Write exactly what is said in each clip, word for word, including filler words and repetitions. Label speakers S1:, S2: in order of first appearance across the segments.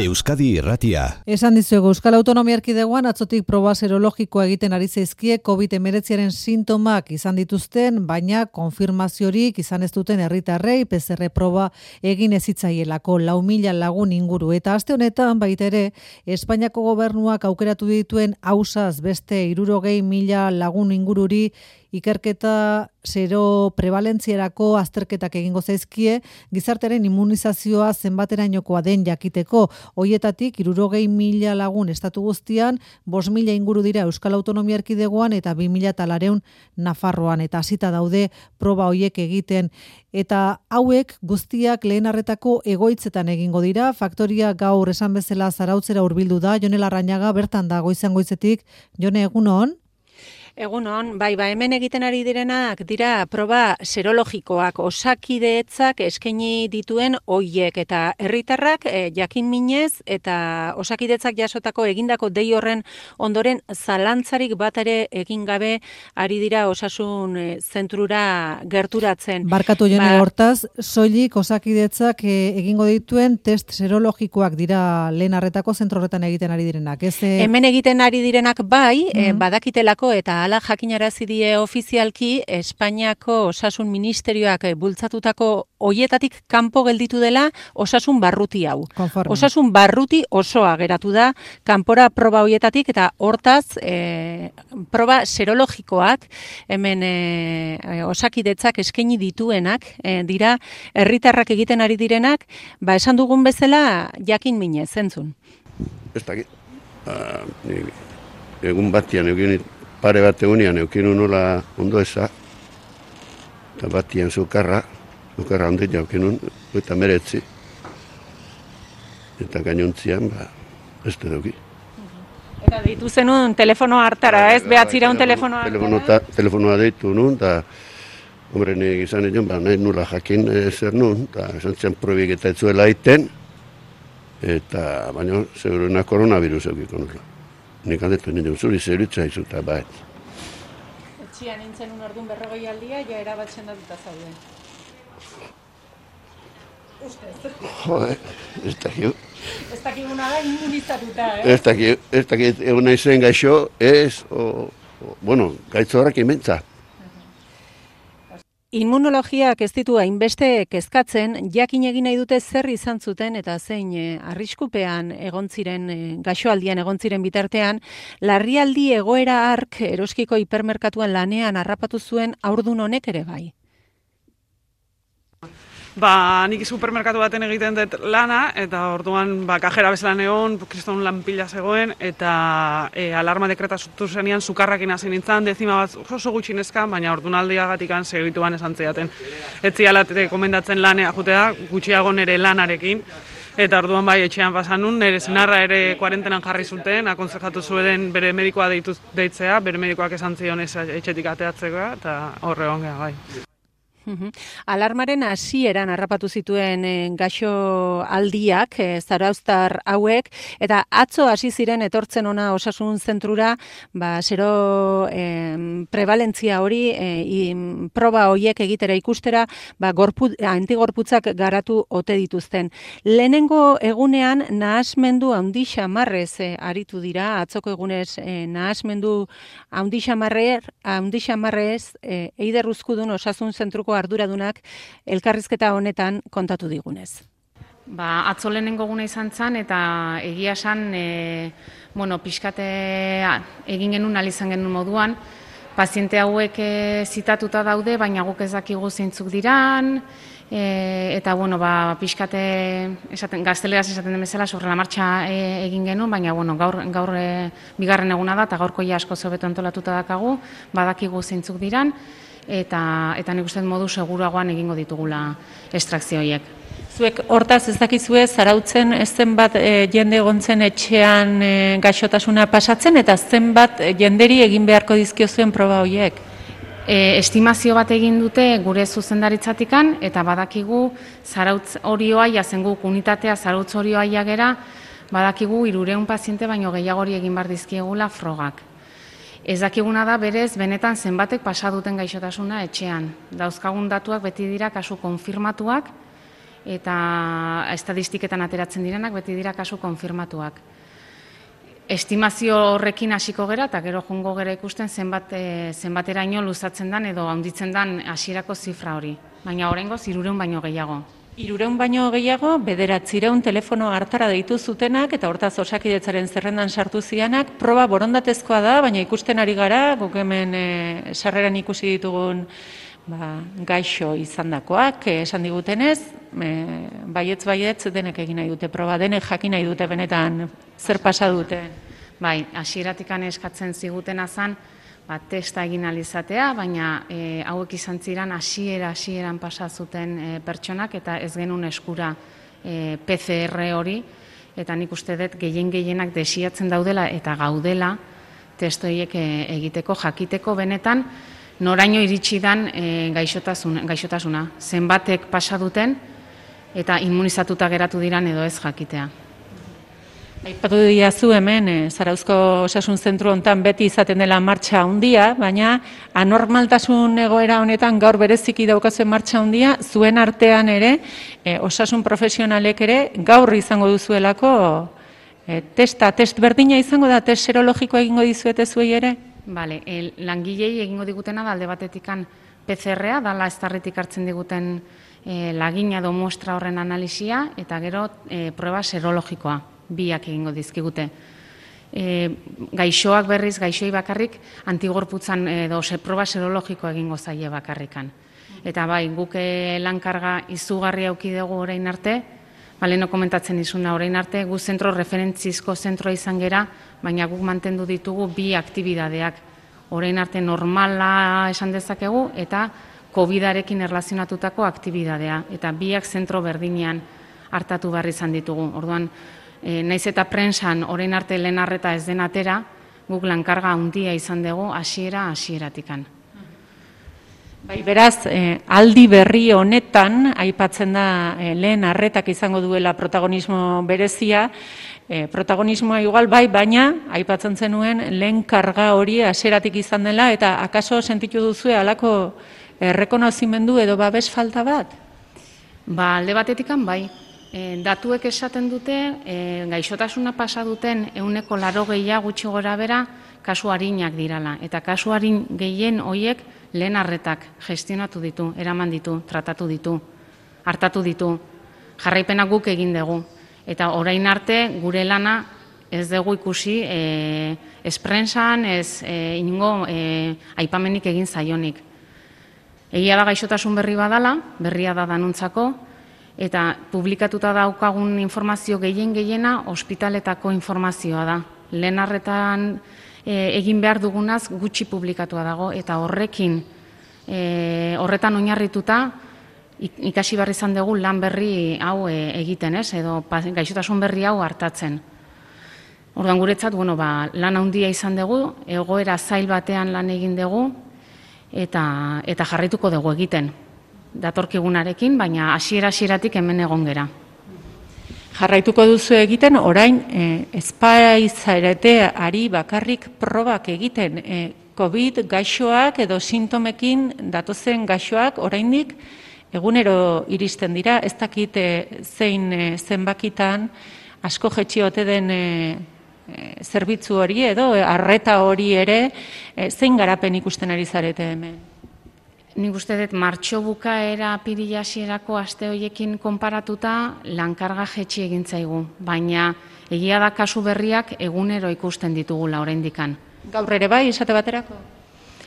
S1: Euskadi Irratia.
S2: Esan dizuegu, Euskal Autonomia Erkidegoan atzotik proba serologikoa egiten ari zaizkie covid hemeretziaren sintomak izan dituzten, baina konfirmaziorik izan ez duten herritarrei P C R proba egin ezitzaielako lau mila lagun inguru. Eta aste honetan baita ere, Espainiako gobernuak aukeratu dituen ausaz beste hirurogei mila lagun ingururi ikerketa zero prevalentzierako azterketak egingo zaizkie, gizartearen immunizazioa zenbaterainokoa den jakiteko. Hoietatik hirurogei mila lagun estatu guztian, bost mila inguru dira Euskal Autonomia Erkidegoan eta bi mila laurehun Nafarroan, eta hasita daude proba hoiek egiten. Eta hauek guztiak lehen arretako egoitzetan egingo dira. Faktoria gaur esan bezala Zarautzera hurbildu da. Jone Larrañaga bertan da goizan goizetik. Jone, egunon?
S3: Egunon, bai, ba, hemen egiten ari direnak dira proba serologikoak, Osakidetzak eskaini dituen hoiek eta herritarrak e, jakin minez eta Osakidetzak jasotako egindako dei horren ondoren zalantzarik bat ere egin gabe ari dira osasun e, zentrura gerturatzen.
S2: Barkatu Jone, ba, hortaz, soilik Osakidetzak e, egingo dituen test serologikoak dira lehen arretako zentro horretan egiten ari direnak. Ez, e...
S3: Hemen egiten ari direnak bai, mm-hmm. e, badakitelako eta hala jakinarazi die ofizialki Espainiako Osasun Ministerioak bultzatutako hoietatik kanpo gelditu dela osasun barruti hau.
S2: Konforme.
S3: Osasun barruti osoa geratu da kanpora proba hoietatik eta hortaz e, proba serologikoak hemen e, Osakidetzak eskaini dituenak e, dira herritarrak egiten ari direnak, ba esan dugun bezala jakin minez, zentzun.
S4: Ez dakit. Uh, egun batian egin pare bat egunean eukinu nola ondo eza, eta batian zukarra, zukarra ondet jaukinu, eta meretzi. Eta gainontzian, ba, ez da duki.
S3: Eta deitu zenun telefono hartara, ez? Behatzira un telefono hartara?
S4: Telefonoa deitu nun, eta hombre, nik izan egon, ba, nahi nula jakin zer nun, eta esan zen probik eta etzuela iten, eta baina, seguruna koronavirus eukiko nula. Nik handetu nire zuri zerutza izu eta bat.
S3: Etxian nintzen un orduan berrogei aldia, ja erabatzen datuta zauden. Ustez.
S4: Jode, ez dakio.
S3: Ez dakiguna da immunizatuta, eh?
S4: Ez dakio, ez dakio, egun nahi zen gaixo, ez, o, o, bueno, gaitzo horrak imentza.
S3: Immunologiak ez ditu hainbeste kezkatzen, jakin egin nahi dute zer izan zuten eta zein e, arriskupean egon ziren, e, gaixoaldian egon ziren bitartean, larrialdi egoera hark Eroskiko hipermerkatuan lanean harrapatu zuen haurdun honek ere bai.
S5: Ba, nik supermerkatu baten egiten dut lana, eta orduan ba, kajera bezalan egon, kriston lan pila zegoen, eta e, alarma dekreta zutu zenean, sukarrakin hasi nintzen, dezima bat oso gutxinezka, baina orduan aldiagatik segituan esan zeaten. Ez zialate komendatzen lanea jutea, gutxiago nire lanarekin, eta orduan bai etxean pasan nun, nire senarra ere kuarentenan jarri zuten, akonsejatu zuen bere medikoa deitu, deitzea, bere medikoak esan zion etxetik ateatzeko, eta horre ongea bai.
S3: Alarmaren hasieran harrapatu zituen e, gaixo aldiak, e, zarauztar hauek, eta atzo hasi ziren etortzen ona osasun zentrura, ba, zero e, prevalentzia hori, e, i, proba horiek egitera ikustera, ba, gorpu, antigorputzak garatu ote dituzten. Lehenengo egunean nahasmendu handi xamarrez e, aritu dira, atzoko egunez e, nahasmendu handi xamarrez e, Eider Uzkudun osasun zentruko arduradunak elkarrizketa honetan kontatu digunez.
S6: Ba, atzo lehenengo guna izan zen eta egia esan, e, bueno, pixkate egin genuen, alizan genuen moduan, paziente hauek e, zitatuta daude, baina guk ez dakigu zeintzuk diran, e, eta, bueno, ba, pixkate, esaten, gazteleraz esaten den bezala, sobre la marcha e, egin genuen, baina, bueno, gaur, gaur e, bigarren eguna da, eta gaurko ja asko zobeto antolatuta dakagu, badakigu zeintzuk diran, eta eta nik uste modu seguruagoan egingo ditugula estrakzio horiek.
S3: Zuek hortaz ez dakizue Zarautzen ez zenbat e, jende egontzen etxean e, gaixotasuna pasatzen eta zenbat e, jenderi egin beharko dizkio zuen proba horiek?
S6: E, estimazio bat egin dute gure zuzendaritzatikan eta badakigu Zarautz Orioa jazen guk unitatea Zarautz Orioa jagera badakigu hirurehun paziente baino gehiagori egin bar dizkiegula frogak. Ez dakiguna da berez benetan zenbatek pasa duten gaixotasuna etxean. Dauzkagun datuak beti dira kasu konfirmatuak eta estadistiketan ateratzen direnak beti dira kasu konfirmatuak. Estimazio horrekin hasiko gera eta gero jongo gera ikusten zenbat, e, zenbateraino luzatzen dan edo handitzen dan hasierako zifra hori. Baina oraingoz hirurehun baino gehiago.
S3: Hirurehun baino gehiago, bederatziehun telefono hartara deitu zutenak eta hortaz Osakidetzaren zerrendan sartu zianak, proba borondatezkoa da, baina ikusten ari gara, guk hemen e, sarreran ikusi ditugun ba, gaixo izandakoak, e, esan digutenez, e, baietz baietz denek egin nahi dute proba, denek jakin nahi dute benetan zer pasa dute.
S6: Bai, hasieratikan eskatzen zigutena zan, ba, testa egin alizatea, baina e, hauek izan ziren hasiera hasieran pasa zuten e, pertsonak eta ez genuen eskura e, P C R hori, eta nik uste dut gehien gehienak desiatzen daudela eta gaudela test horiek e, egiteko, jakiteko benetan noraino iritsi dan e, gaixotasun, gaixotasuna, zenbatek pasa duten eta immunizatuta geratu diran edo ez jakitea.
S3: Aipatu diazu hemen, e, Zarauzko Osasun Zentru hontan beti izaten dela martxa handia, baina anormaltasun egoera honetan gaur bereziki daukazuen martxa handia, zuen artean ere, e, osasun profesionalek ere, gaur izango duzuelako e, testa, test berdina izango da, test serologikoa egingo dizuete zuei ere?
S6: Bale, el, langilei egingo digutena da alde batetikan P C R-a, dala estarritik hartzen diguten e, lagina edo muestra horren analisia, eta gero e, proba serologikoa. Biak egingo dizkigute. E, gaixoak berriz, gaixoi bakarrik, antigorputzan edo proba serologikoa egingo zaie bakarrikan. Eta bai, guk lankarga izugarri auki dugu orain arte, baleno komentatzen izuna orain arte, gu zentro referentzizko zentroa izan gera, baina guk mantendu ditugu bi aktibidadeak. Orain arte normala esan dezakegu eta kovidarekin erlazionatutako aktibidadea. Eta biak zentro berdinean hartatu behar izan ditugu. Orduan, E, naiz eta prensan orain arte lehen arreta ez den atera, guk lankarga handia izan dugu hasiera hasieratikan.
S3: Bai, beraz, eh, aldi berri honetan, aipatzen da eh, lehen arretak izango duela protagonismo berezia, eh, protagonismoa igual bai, baina aipatzen zenuen lehen karga hori hasieratik izan dela, eta akaso sentitu duzue halako errekonozimendu edo babes falta bat?
S6: Ba, alde batetikan bai. E, datuek esaten dute, e, gaixotasuna pasa duten ehuneko laurogeia gutxi gora bera kasu arinak dirala. Eta kasu arin gehien hoiek lehen arretak gestionatu ditu, eraman ditu, tratatu ditu, hartatu ditu, jarraipena guk egin dugu. Eta orain arte gure lana ez dugu ikusi e, ez prensan, ez e, ingo e, aipamenik egin zaionik. Egia da gaixotasun berri badala, berria da danuntzako, eta publikatuta daukagun informazio gehien gehiena ospitaletako informazioa da. Lehen arretan e, egin behar dugunaz gutxi publikatua dago, eta horrekin, e, horretan oinarrituta ikasi behar izan dugu lan berri hau e, egiten, ez? Edo gaixotasun berri hau hartatzen. Orduan guretzat, bueno, ba, lan handia izan dugu, egoera zail batean lan egin dugu, eta, eta jarrituko dugu egiten. Datorkigunarekin, baina hasiera-hasieratik hemen egon gera.
S3: Jarraituko duzu egiten, orain eh, ezpaizarete ari bakarrik probak egiten. Eh, COVID gaixoak edo sintomekin datozen gaixoak oraindik egunero iristen dira, ez dakit eh, zein eh, zenbakitan asko jetxi ote den eh, eh, zerbitzu hori edo eh, arreta hori ere, eh, zein garapen ikusten ari zarete hemen?
S6: Nik uste dut martxo bukaera apirila hasierako aste horiekin konparatuta lankarga jetxi egin zaigu, baina egia da kasu berriak egunero ikusten ditugula oraindikan.
S3: Gaur ere bai, esate baterako?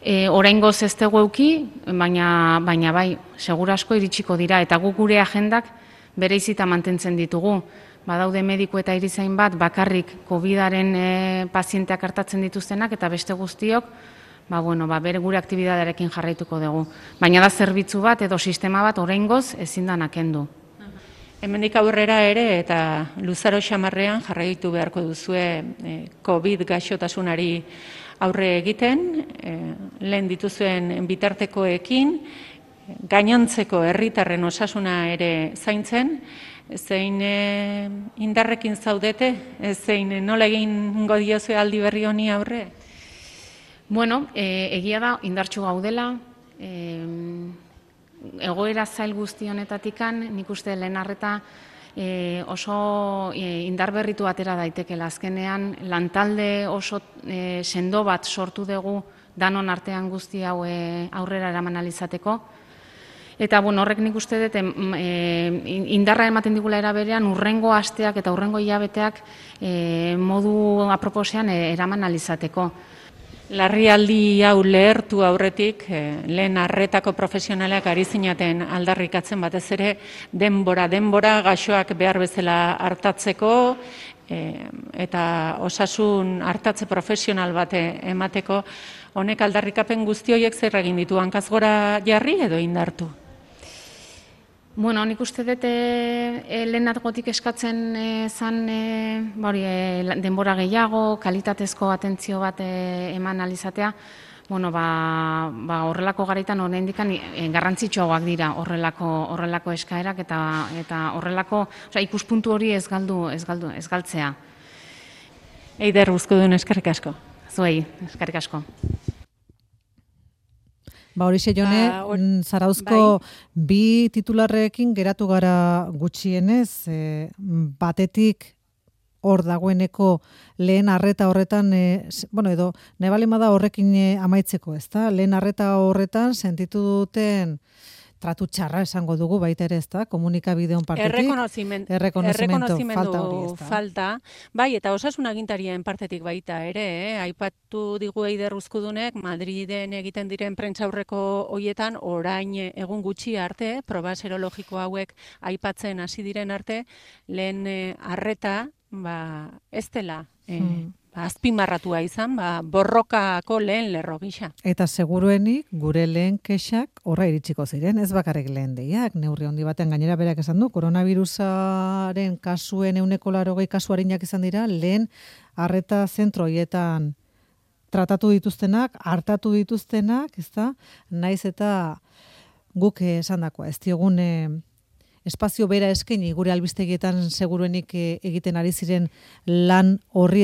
S6: E, oraingoz ez dugu eduki, baina, baina bai, segura asko iritsiko dira, eta guk gure agendak bereizita mantentzen ditugu. Badaude mediku eta erizain bat bakarrik covidaren e, pazienteak hartatzen dituztenak, eta beste guztiok ba, bueno, ba, bere gure aktibidadearekin jarraituko dugu. Baina da zerbitzu bat edo sistema bat oraingoz ezin da nakendu.
S3: Hemendik aurrera ere eta luzaro xamarrean jarraitu beharko duzue eh, COVID gaixotasunari aurre egiten, eh, lehen dituzuen bitartekoekin, gainontzeko herritarren osasuna ere zaintzen, zein eh, indarrekin zaudete, zein nola egingo diozue aldi berri honi aurre?
S6: Bueno, e, egia da, indartsu gaudela, e, egoera zail guzti honetatikan, nik uste lehen arreta e, oso e, indarberritu atera daitekela. Azkenean, lantalde oso e, sendo bat sortu dugu danon artean guzti hau e, aurrera eraman alizateko. Eta bueno, horrek nik uste dut e, indarra ematen digula era berean urrengo asteak eta urrengo hilabeteak e, modu aproposean e, eraman alizateko.
S3: Larrialdi hau lehertu aurretik, eh, lehen arretako profesionalak ari zinaten aldarrikatzen batez ere denbora, denbora gaixoak behar bezala hartatzeko eh, eta osasun hartatze profesional bate emateko, honek aldarrikapen guzti horiek zer egin ditu, hankaz gora jarri edo indartu?
S6: Bueno, nik uste dut e, e, lehenagotik eskatzen e, zan e, bori, e, denbora gehiago, kalitatezko atentzio bat e, eman alizatea, bueno, ba, ba, horrelako garaitan oraindikan e, garrantzitsuagoak dira horrelako horrelako eskaerak eta eta horrelako, osea, ikuspuntu hori ez galdu, ez galdu, ez galtzea.
S3: Eider Uzkudun, eskerrik asko.
S6: Zuei, eskerrik asko.
S2: Ba, horixe Jone, ba, or, Zarauzko bai. Bi titularrekin geratu gara gutxienez, e, batetik hor dagoeneko lehen arreta horretan, e, bueno, edo nebalemada horrekin e, amaitzeko, ezta? Lehen arreta horretan sentitu duten tratu txarra esango dugu baita ere, ezta? Komunikabideon partetik.
S3: Errekonozimendu, falta hori, ezta? Falta, bai, eta osasun agintarien partetik baita ere, eh? Aipatu digu Eider Uzkudunek, Madriden egiten diren prentsaurreko hoietan, orain egun gutxi arte, proba serologiko hauek aipatzen hasi diren arte, lehen eh, arreta, ba, ez dela, eh, hmm. ba, azpimarratua izan, ba, borrokako lehen lerro gisa.
S2: Eta seguruenik gure lehen kexak horra iritsiko ziren, ez bakarrik lehen deiak, neurri handi batean gainera berak esan du, koronavirusaren kasuen euneko larogei kasu arinak izan dira, lehen arreta zentroietan tratatu dituztenak, hartatu dituztenak, ezta, naiz eta guk esandakoa, ez diogun espazio bera eskaini gure albistegietan seguruenik egiten ari ziren lan horri